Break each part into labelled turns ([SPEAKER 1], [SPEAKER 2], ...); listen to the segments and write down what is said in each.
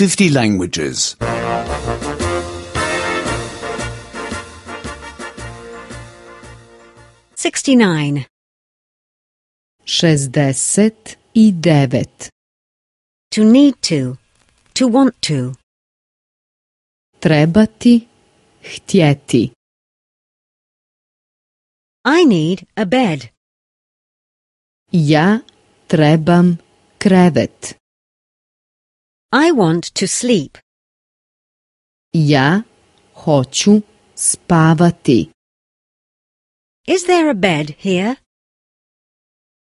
[SPEAKER 1] 50 languages.
[SPEAKER 2] 69.
[SPEAKER 3] 69.
[SPEAKER 2] To need to want to.
[SPEAKER 3] Trebati, htjeti.
[SPEAKER 2] I need a bed.
[SPEAKER 3] Ja trebam krevet.
[SPEAKER 2] I want to sleep.
[SPEAKER 3] Ja hoću spavati.
[SPEAKER 2] Is there a bed here?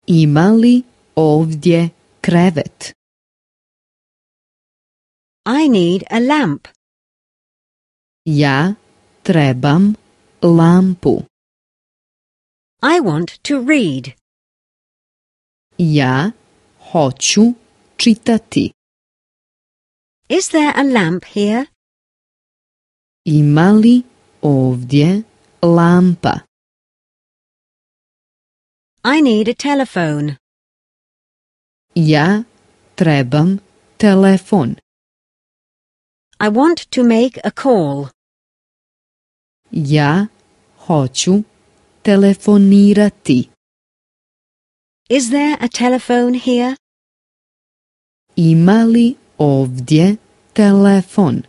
[SPEAKER 3] Ima li ovdje krevet?
[SPEAKER 2] I need a lamp.
[SPEAKER 3] Ja trebam lampu.
[SPEAKER 2] I want to read.
[SPEAKER 3] Ja hoću čitati.
[SPEAKER 2] Is there a lamp here?
[SPEAKER 3] Ima li ovdje lampa?
[SPEAKER 2] I need a telephone.
[SPEAKER 3] Ja trebam telefon.
[SPEAKER 2] I want to make a call.
[SPEAKER 3] Ja hoću telefonirati.
[SPEAKER 2] Is there a telephone here?
[SPEAKER 3] Ima li ovdje telefon?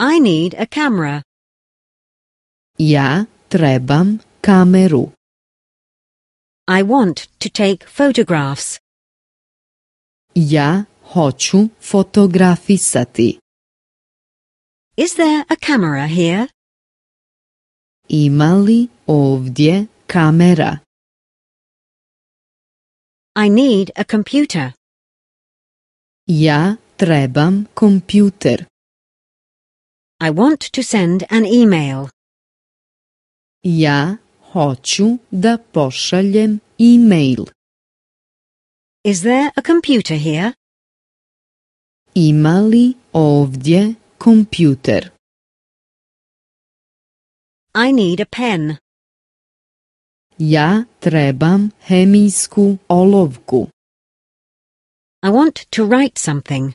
[SPEAKER 2] I need a camera.
[SPEAKER 3] Ja trebam kameru.
[SPEAKER 2] I want to take photographs.
[SPEAKER 3] Ja hoću fotografisati.
[SPEAKER 2] Is there a camera here?
[SPEAKER 3] Ima li ovdje kamera?
[SPEAKER 2] I need a computer.
[SPEAKER 3] Ja trebam kompjuter.
[SPEAKER 2] I want to send an email.
[SPEAKER 3] Ja hoću da pošaljem e-mail.
[SPEAKER 2] Is there a computer here?
[SPEAKER 3] Ima li ovdje kompjuter?
[SPEAKER 2] I need a pen.
[SPEAKER 3] Ja trebam hemijsku olovku.
[SPEAKER 2] I want to write something.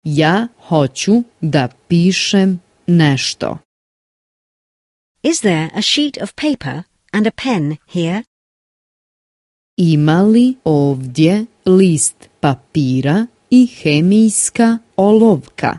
[SPEAKER 3] Ja hoću da pišem nešto.
[SPEAKER 2] Is there a sheet of paper and a pen here?
[SPEAKER 3] Ima li ovdje list papira i hemijska olovka?